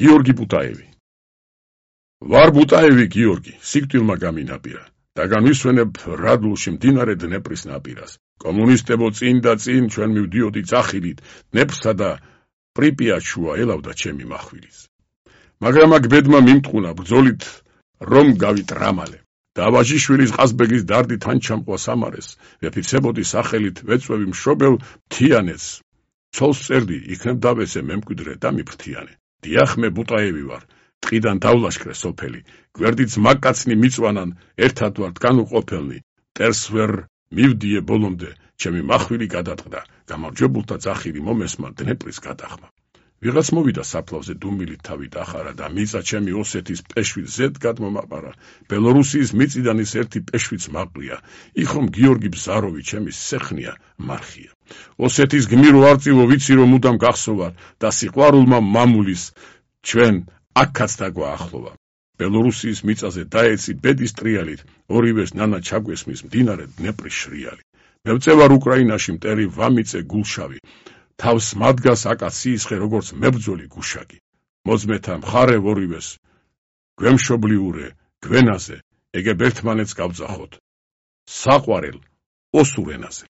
გიორგი ბუტაევი. ვარ ბუტაევი გიორგი, სიკვდილმა გამინაპირა და განვისვენებ რადლში მდინარე დნეპრის ნაპირას. კომუნისტებო წინ და წინ ჩვენ მივდიოდი ძახილით, დნეპრსა და პრიპიატს შუა ელავდა ჩემი מחვილის. მაგრამ აქ ბედმა მიმტყუნა ბრძოლით რომ გავიტრამალე. და ვაჟიშვილის ყაზბეგის დარდით თან ჩამყვა სამარეს, ვეფიცებოდი სახელით ვეწვევი მშობელ მთიანეთს. ცოლს წერდი, იქნებ დავესე მემკვიდრე და მიფრთიანე. დიახ მე ბუტაევი ვარ, ტყიდან დავლაშქრე სოფელი, გვერდით მაკაცნი მიწვანან, ერთად ვართ განუყოფელნი, ტერს ვერ მივდიე ბოლომდე, ჩემი მახვილი გადატყდა, გამარჯვებულთა ძახილი მომესმა დნეპრის გადახმა. ვიღაც მოვიდა საფლავზე დუმილით თავი დახარა და მიწა ჩემი ოსეთის პეშვით ზედ გადმომაყარა. ბელორუსიის მიწიდანის ერთი პეშვიც მაყრია, იხომ გიორგი ბზაროვი ჩემი სეხნია მარხია. ოსეთის გმირო არწივო ვიცი რომ მუდამ გახსოვარ და სიყვარულმა მამულის ჩვენ აქაც დაგვაახლოვა. ბელორუსიის მიწაზე დაეცი ბედის ტრიალით, ორივეს ნანა ჩაგვესმის მდინარე დნეპრის შრიალი. მევწევარ უკრაინაში მტერი ვამიწე გულშავი. თავს მადგას აკაციისხე როგორც მებრძოლი გუშაგი. მოძმეთა მხარე ორივეს, გვემშობლიურე, გვენაზე, ეგებ ერთმანეთს გავძახოთ. საყვარელ ოსურ ენაზე.